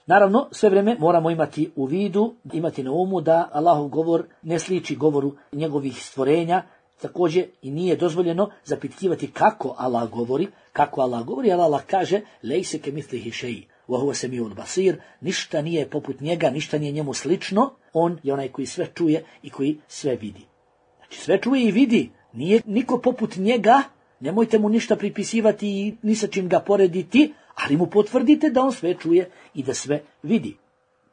Naravno, sve vrijeme moramo imati u vidu, imati na umu da Allahov govor ne sliči govoru njegovih stvorenja, također i nije dozvoljeno zapitkivati kako Allah govori, kako Allah govori, ali Allah kaže, lejse ke mitlihi šeji, wa huwa semiul basir, ništa nije poput njega, ništa nije njemu slično, on je onaj koji sve čuje i koji sve vidi. Znači sve čuje i vidi, nije niko poput njega, nemojte mu ništa pripisivati i ni sa čim ga porediti, ali mu potvrdite da on sve čuje i da sve vidi.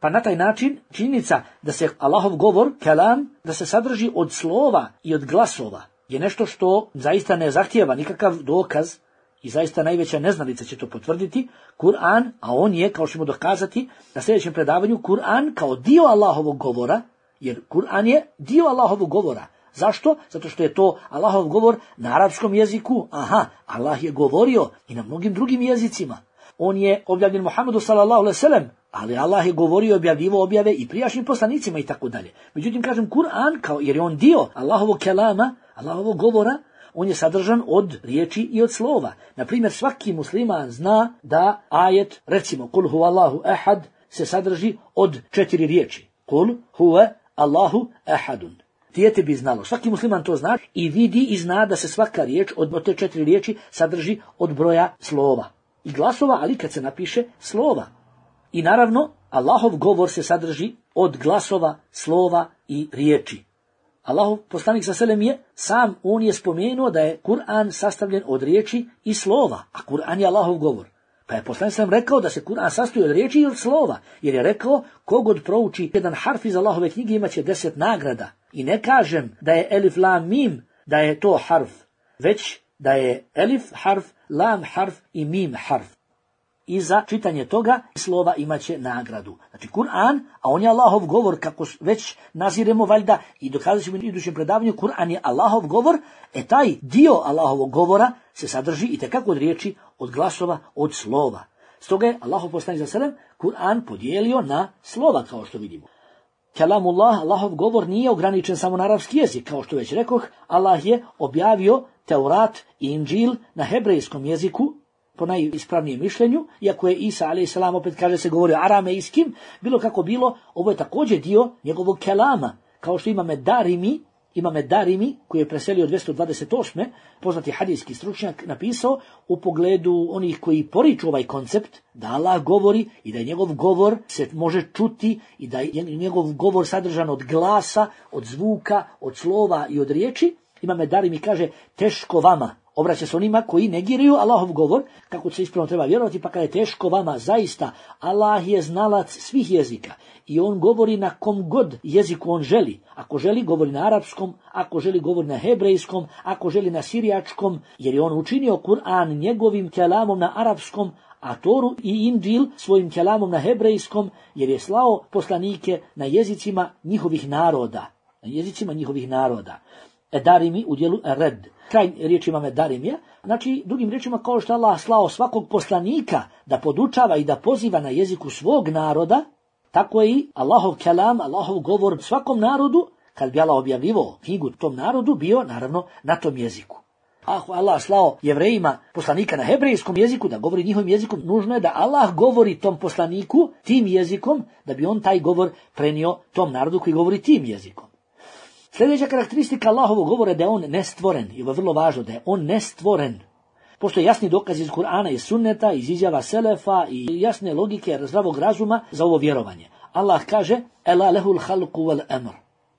Pa na taj način činjenica da se Allahov govor, kelam, da se sadrži od slova i od glasova, je nešto što zaista ne zahtijeva nikakav dokaz i zaista najveća neznalica će to potvrditi. Kur'an, a on je, kao što ćemo dokazati na sljedećem predavanju, Kur'an kao dio Allahovog govora, jer Kur'an je dio Allahovog govora. Zašto? Zato što je to Allahov govor na arapskom jeziku. Aha, Allah je govorio i na mnogim drugim jezicima. On je objavljen Muhammedu sallallahu alejhi ve sellem, ali Allah je govorio, objavljivo objave i prijašnjim poslanicima i tako dalje. Međutim, kažem Kur'an, kao, jer je on dio Allahovog kelama, Allahovog govora, on je sadržan od riječi i od slova. Na primjer, svaki musliman zna da ajet, recimo, kul huwa Allahu ahad, se sadrži od četiri riječi. Kul huwa Allahu ahadun. Dijete bi znalo, svaki musliman to zna i vidi i zna da se svaka riječ od te četiri riječi sadrži od broja slova i glasova, ali kad se napiše slova. I naravno, Allahov govor se sadrži od glasova, slova i riječi. Allahov poslanik sallallahu alejhi ve sellem je sam, on je spomenuo da je Kur'an sastavljen od riječi i slova, a Kur'an je Allahov govor. Pa je poslanik sallallahu alejhi ve sellem rekao da se Kur'an sastoji od riječi i od slova, jer je rekao kogod prouči jedan harf iz Allahove knjige imaće deset nagrada. I ne kažem da je elif, lam, mim, da je to harf, već da je elif harf, lam harf i mim harf. I za čitanje toga slova imaće nagradu. Znači Kur'an, a on je Allahov govor, kako već naziremo valjda i dokazat ćemo u idućem predavanju, Kur'an je Allahov govor, e taj dio Allahovog govora se sadrži i tekako od riječi, od glasova, od slova. Stoga je Allahov poslanik sallallahu alejhi ve sellem Kur'an podijelio na slova, kao što vidimo. Kelamullah, Allahov govor, nije ograničen samo na arapski jezik, kao što već rekoh, Allah je objavio Teurat i Inđil na hebrejskom jeziku, po najispravnijem mišljenju, iako je Isa alejhi selam opet kaže se govori aramejskim, bilo kako bilo, ovo je također dio njegovog kelama, kao što ima Darimi, ima Darimi koji je preselio dvjesto dvadeset osme poznati hadijski stručnjak, napisao u pogledu onih koji poriču ovaj koncept da Allah govori i da je njegov govor se može čuti i da je njegov govor sadržan od glasa, od zvuka, od slova i od riječi. Imam Darimi kaže, teško vama, Obraća se onima koji negiraju Allahov govor, kako se ispravno treba vjerovati, pa kada je teško vama, zaista, Allah je znalac svih jezika i on govori na kom god jeziku on želi. Ako želi, govori na arapskom, ako želi, govori na hebrejskom, ako želi na sirijačkom, jer je on učinio Kur'an njegovim kelamom na arapskom, a Toru i Inđil svojim kelamom na hebrejskom, jer je slao poslanike na jezicima njihovih naroda. Na jezicima njihovih naroda. Edarimi u dijelu red. Kraj riječima medarimija. Znači, drugim riječima, kao što Allah slao svakog poslanika da podučava i da poziva na jeziku svog naroda, tako je i Allahov kelam, Allahov govor svakom narodu, kad bi Allah objavljivao knjigu tom narodu, bio naravno na tom jeziku. Ako Allah slao Jevrejima poslanika na hebrejskom jeziku da govori njihovim jezikom, nužno je da Allah govori tom poslaniku tim jezikom, da bi on taj govor prenio tom narodu koji govori tim jezikom. Sljedeća karakteristika Allahovog govora je da je on nestvoren. I ovo je vrlo važno, da je on nestvoren. Postoje jasni dokaz iz Kur'ana i sunneta, iz izjava selefa i jasne logike zdravog razuma za ovo vjerovanje. Allah kaže: Ela lehul halku wal amr.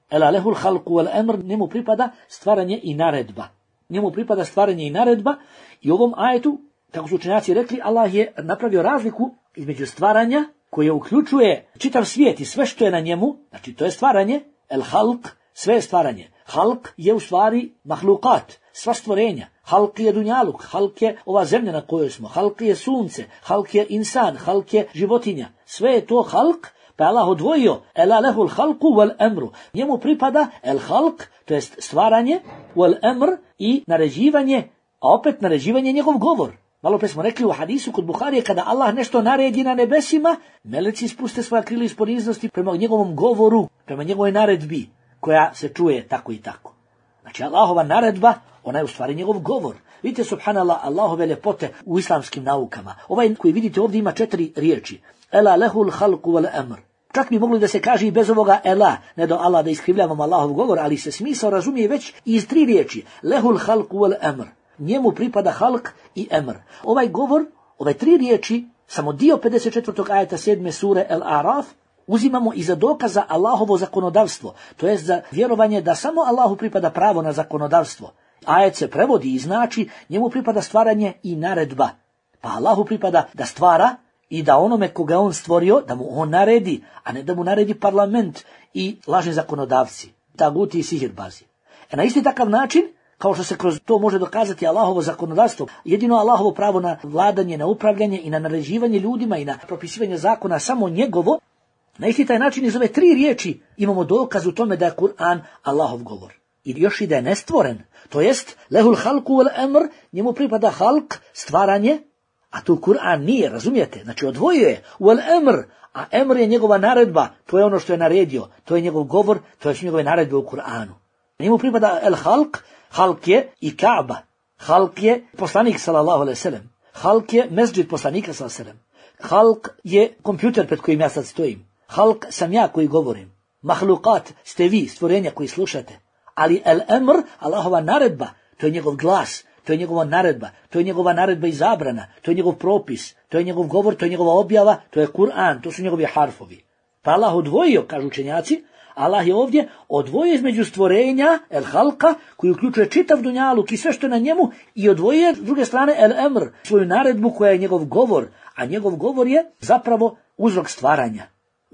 Ela lehul halku wal amr, njemu pripada stvaranje i naredba. Njemu pripada stvaranje i naredba i u ovom ajetu, kako su učenjaci rekli, Allah je napravio razliku između stvaranja koje uključuje čitav svijet i sve što je na njemu, znači to je stvaranje, el halk, sve je stvaranje. Halk je u stvari mahlukat, sva stvorenja. Halk je dunjaluk, halk je ova zemlja na kojoj smo, halk je sunce, halk je insan, halk je životinja. Sve je to halk, pa Allah odvojio ela lehul halku wal amru. Njemu pripada el halk, to jest stvaranje, wal amr i naređivanje, a opet naređivanje je njegov govor. Malo pre smo rekli u hadisu kod Buharije, kada Allah nešto naredi na nebesima, meleci spuste svoja krila iz poniznosti prema njegovom govoru, prema njegovoj naredbi, koja se čuje tako i tako. Znači Allahova naredba, ona je u stvari njegov govor. Vidite, subhanallah, Allahove ljepote u islamskim naukama. Ovaj koji vidite ovdje ima četiri riječi. Ela lehul halku wal amr. Čak bi mogli da se kaže i bez ovoga ela, ne do Allah da iskrivljavamo Allahov govor, ali se smisao razumije već iz tri riječi. Lehul halku wal amr. Njemu pripada halk i amr. Ovaj govor, ove tri riječi, samo dio pedeset četvrtog ajeta sedme sure El Araf, uzimamo i za dokaz za Allahovo zakonodavstvo, to jest za vjerovanje da samo Allahu pripada pravo na zakonodavstvo. Ajet se prevodi i znači njemu pripada stvaranje i naredba. Pa Allahu pripada da stvara i da onome koga on stvorio, da mu on naredi, a ne da mu naredi parlament i lažni zakonodavci, taguti i sihirbazi. E na isti takav način, kao što se kroz to može dokazati Allahovo zakonodavstvo, jedino Allahovo pravo na vladanje, na upravljanje i na naređivanje ljudima i na propisivanje zakona samo njegovo, na isti taj način iz ove tri riječi imamo dokaz u tome da je Kur'an Allahov govor. I još i da je nestvoren, to jest lehul halku wal amr, njemu pripada halk, stvaranje, a tu Kur'an nije, razumijete? Znači odvojuje wal amr, a amr je njegova naredba, to je ono što je naredio, to je njegov govor, to je njegove naredbe u Kur'anu. Njemu pripada el halk, halk je i Kaaba, halk je poslanik sallallahu alejhi ve sellem, halk je mesdžid poslanika sallallahu alejhi ve sellem, halk je kompjuter pred kojim ja sad stojim. Halk sam ja koji govorim. Mahlukat ste vi, stvorenja koji slušate. Ali el amr, Allahova naredba, to je njegov glas, to je njegova naredba, to je njegova naredba i zabrana, to je njegov propis, to je njegov govor, to je njegova objava, to je Kur'an, to su njegovi harfovi. Pa Allah odvojio, kažu učenjaci, Allah je ovdje odvojio između stvorenja, el halka, koji uključuje čitav dunjaluk i sve što je na njemu, i odvojio s druge strane el amr, svoju naredbu koja je njegov govor, a njegov govor je zapravo uzrok stvaranja.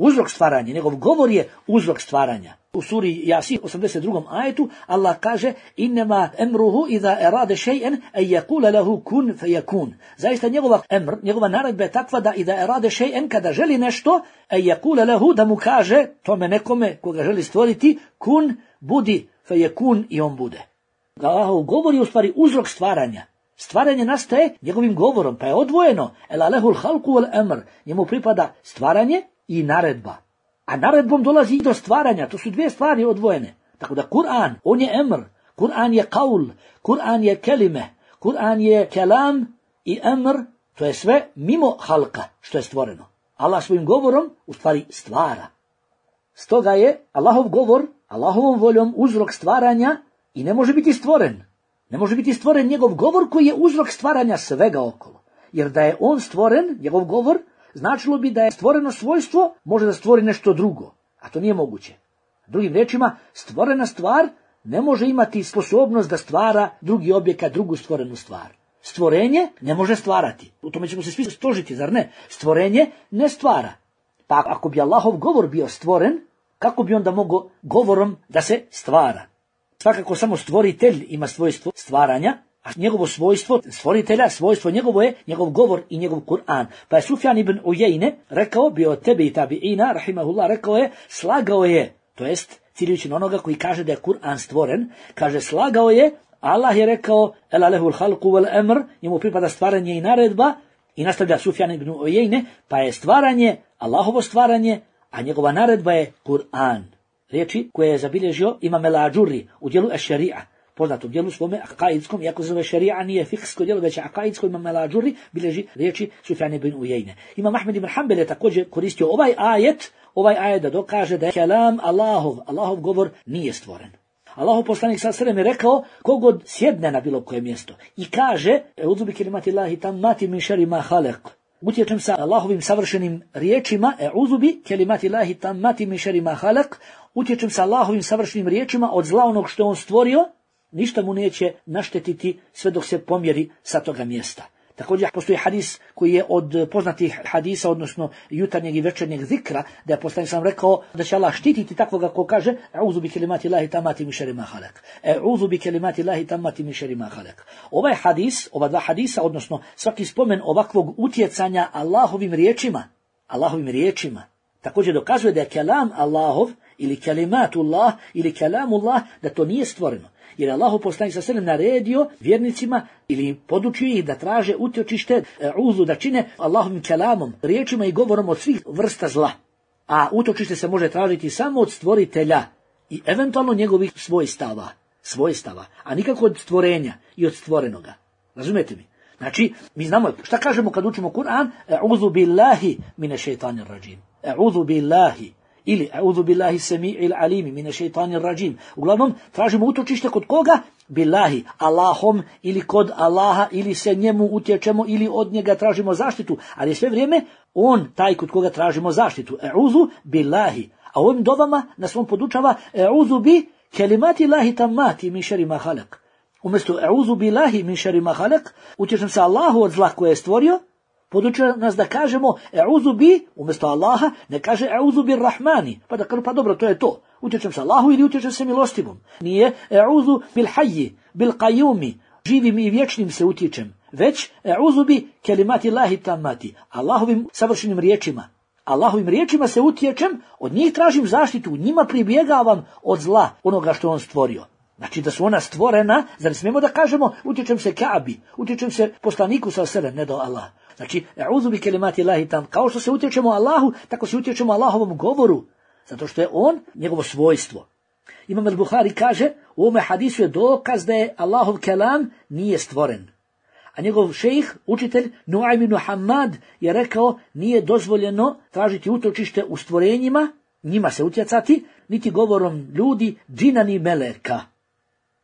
Uzrok stvaranja, njegov govor je uzrok stvaranja. U suri Jasin osamdeset drugom ajetu Allah kaže: Innema emruhu iza erade še'en en yakula lahu kun feyakun. Zaista njegova emr, njegova naredba je takva da iza erade še'en, kada želi nešto, en yakula lahu, da mu kaže tome nekome koga želi stvoriti, kun, budi, feyakun, i on bude. Allahov govor je u stvari uzrok stvaranja. Stvaranje nastaje njegovim govorom, pa je odvojeno. Ela lehul halku wal amr. Njemu pripada stvaranje i naredba. A naredbom dolazi i do stvaranja. To su dvije stvari odvojene. Tako da Kur'an, on je emr, Kur'an je kaul, Kur'an je kelime, Kur'an je kelam i emr, to je sve mimo halka što je stvoreno. Allah svojim govorom u stvari stvara. Stoga je Allahov govor, Allahovom voljom uzrok stvaranja i ne može biti stvoren. Ne može biti stvoren njegov govor koji je uzrok stvaranja svega okolo. Jer da je on stvoren, njegov govor, značilo bi da je stvoreno svojstvo može da stvori nešto drugo, a to nije moguće. Drugim riječima, stvorena stvar ne može imati sposobnost da stvara drugi objekat, drugu stvorenu stvar. Stvorenje ne može stvarati. U tome ćemo se svi složiti, zar ne? Stvorenje ne stvara. Pa ako bi Allahov govor bio stvoren, kako bi onda mogao govorom da se stvara? Svakako samo stvoritelj ima svojstvo stvaranja, a njegovo svojstvo stvoritelja, svojstvo njegovo je njegov govor i njegov Kur'an. Pa je Sufjan ibn Ujejne rekao, bio tebi i tabiina, rahimahullah, rekao je, slagao je, to jest ciljujući na onoga koji kaže da je Kur'an stvoren, kaže slagao je, Allah je rekao, ela lehul halku wal emr, njemu pripada stvaranje i naredba, i nastavlja Sufjan ibn Ujejne, pa je stvaranje, Allahovo stvaranje, a njegova naredba je Kur'an. Riječi koje je zabilježio Imam el-Ađurri u dijelu Eš-Šarija, poznatom dijelu svome akaidskom, iako se zove šarija, nije fiksko dijelo, već akaidsko. Imam el-Ađurri bilježi riječi Sufjan ibn Ujejne. Imam Ahmed ibn Hanbel je također koristio ovaj ajet, ovaj ajet da dokaže da je kelam Allahov, Allahov govor nije stvoren. Allahov poslanik sallallahu alejhi ve sellem je rekao, kogod sjedne na bilo koje mjesto i kaže, e'udhu bi kelimatillahi tammati min šerri ma halaq, utječem sa Allahovim savršenim riječima, e'udhu bi kelimatillahi tammati min šerri ma halaq, utječem sa Allahovim savršenim riječima od zla onog što on stvorio, ništa mu neće naštetiti sve dok se pomjeri sa toga mjesta. Također postoji hadis koji je od poznatih hadisa, odnosno jutarnjeg i večernjeg zikra, da je poslanik sam rekao da će Allah štititi takvoga ko kaže e'udhu bi kelimati Allahi tammati min šerri ma halaq. E'udhu bi kelimati Allahi tammati min šerri ma halaq. Ovaj hadis, ova dva hadisa, odnosno svaki spomen ovakvog utjecanja Allahovim riječima, Allahovim riječima, također dokazuje da je kelam Allahov ili kelimatullah ili kelamullah, da to nije stvoreno. Jer Allahu poslanik sallallahu alejhi ve sellem naredio vjernicima ili podučio ih da traže utočište, uzu, da čine Allahovim kelamom, riječima i govorom od svih vrsta zla. A utočište se može tražiti samo od stvoritelja i eventualno njegovih svojstava, svojstava, a nikako od stvorenja i od stvorenoga. Razumijete mi? Znači, mi znamo šta kažemo kad učimo Kur'an, e'udhu billahi mine šeitanir rajim. E'udhu billahi. Ili e'udhu billahi sami'il alimi mine šeitanir rajim. Uglavnom, tražimo utočište kod koga? Billahi, Allahom, ili kod Allaha, ili se njemu utječemo, ili od njega tražimo zaštitu. Ali sve vrijeme, on taj kod koga tražimo zaštitu. E'udhu billahi. A ovim dovama nas on podučava e'udhu bi kelimati Allahi tammati min šerri ma halaq. Umjesto e'udhu billahi min šerri ma halaq, utječem se Allahu od zla koje je stvorio, podučuje nas da kažemo e'udhu bi, umjesto Allaha, ne kaže e'udhu bir rahmani. Pa da kažu, pa dobro, to je to. Utječem se Allahu ili utječem se milostivom. Nije e'udhu bil hayyi, bil qayyumi, živim i vječnim se utječem. Već e'udhu bi kelimati Allahi tammati, Allahovim savršenim riječima. Allahovim riječima se utječem, od njih tražim zaštitu, njima pribjegavam od zla onoga što on stvorio. Znači da su ona stvorena, zar smijemo da kažemo utječem se Kaabi, utječem se poslaniku sallallahu alejhi ve sellem, ne do Allah. Znači, e'udhu bi kelimati Allahi tam, kao što se utječemo Allahu, tako se utječemo Allahovom govoru, zato što je on njegovo svojstvo. Imam al-Buhari kaže, u ovome hadisu je dokaz da je Allahov kelam nije stvoren. A njegov šejh, učitelj Nuaym ibn Hamad je rekao, nije dozvoljeno tražiti utočište u stvorenjima, njima se utjecati, niti govorom ljudi, džina ni meleka.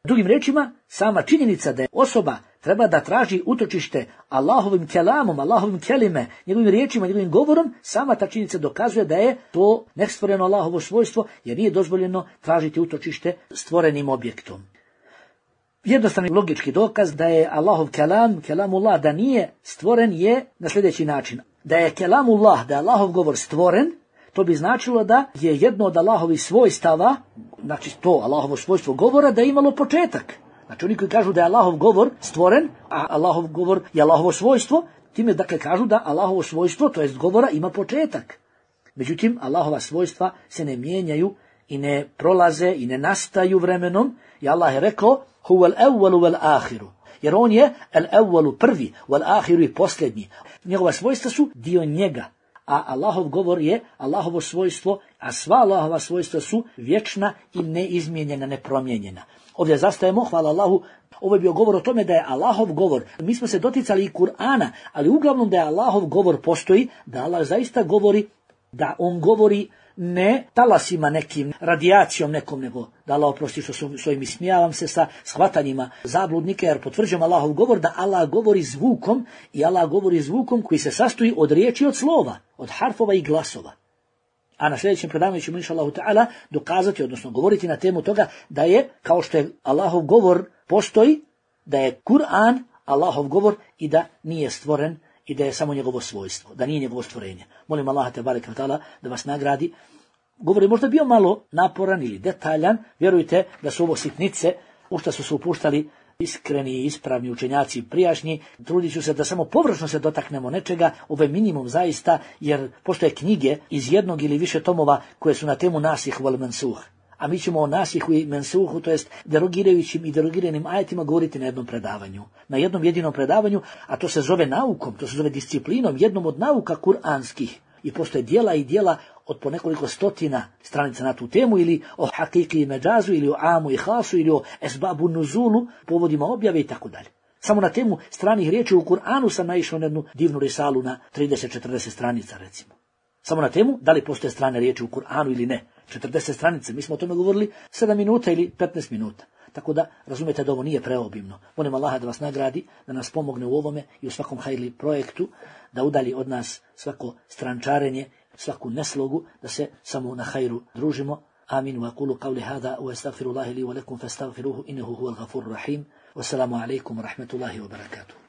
Drugim rečima, sama činjenica da je osoba treba da traži utočište Allahovim kelamom, Allahovim kelime, njegovim riječima, njegovim govorom, sama ta činjenica dokazuje da je to nestvoreno Allahovo svojstvo, jer nije dozvoljeno tražiti utočište stvorenim objektom. Jednostavni logički dokaz da je Allahov kelam, kelamullah, da nije stvoren je na sljedeći način. Da je kelamullah, da je Allahov govor stvoren, to bi značilo da je jedno od Allahovih svojstava, znači to Allahovo svojstvo govora, da je imalo početak. Znači oni koji kažu da je Allahov govor stvoren, a Allahov govor je Allahovo svojstvo, time dakle kažu da Allahovo svojstvo, to jest govora, ima početak. Međutim, Allahova svojstva se ne mijenjaju i ne prolaze i ne nastaju vremenom. I Allah je rekao, huwal awwalu wal akhiru. Jer on je al-awwalu prvi, wal akhiru i posljednji. Njegova svojstva su dio njega. A Allahov govor je Allahovo svojstvo, a sva Allahova svojstva su vječna i neizmijenjena, nepromijenjena. Ovdje zastajemo, hvala Allahu, ovo je bio govor o tome da je Allahov govor. Mi smo se doticali i Kur'ana, ali uglavnom da je Allahov govor postoji, da Allah zaista govori, da on govori ne talasima nekim, radijacijom nekom, nego da Allah oprosti što svojim ismijavam se sa shvatanjima zabludnika, jer potvrđujem Allahov govor da Allah govori zvukom i Allah govori zvukom koji se sastoji od riječi i od slova, od harfova i glasova. A na sljedećem predavanju ćemo inša Allahu ta'ala dokazati, odnosno govoriti na temu toga da je, kao što je Allahov govor postoji, da je Kur'an Allahov govor i da nije stvoren i da je samo njegovo svojstvo, da nije njegovo stvorenje. Molim Allaha tebareke ve taala da vas nagradi. Govor je možda bio malo naporan ili detaljan, vjerujte da su ovo sitnice u što su se upuštali iskreni i ispravni učenjaci prijašnji, trudit ću se da samo površno se dotaknemo nečega, ovo je minimum zaista, jer postoje knjige iz jednog ili više tomova koje su na temu nasih wal mansuh. A mi ćemo o nasihu i mensuhu, to jest derogirajućim i derogiranim ajetima govoriti na jednom predavanju. Na jednom jedinom predavanju, a to se zove naukom, to se zove disciplinom, jednom od nauka kuranskih. I postoje dijela i dijela od po nekoliko stotina stranica na tu temu, ili o hakiki i međazu, ili o amu i hasu, ili o esbabu nuzulu, povodima objave i tako dalje. Samo na temu stranih riječi u Kur'anu sam naišao na jednu divnu risalu na trideset četrdeset stranica, recimo. Samo na temu da li postoje strane riječi u Kur'anu ili ne. četrdeset stranice, mi smo o tome govorili sedam minuta ili petnaest minuta. Tako da razumijete da ovo nije preobimno. Molim Allaha da vas nagradi, da nas pomogne u ovome i u svakom hajli projektu, da udalji od nas svako strančarenje, svaku neslogu, da se samo na hajru družimo. Amin. Wa aqulu qawli hada wa astaghfirullaha li wa lakum fastaghfiruhu innahu huwal ghafurur rahim. Wassalamu alaikum wa rahmatullahi wa barakatuh.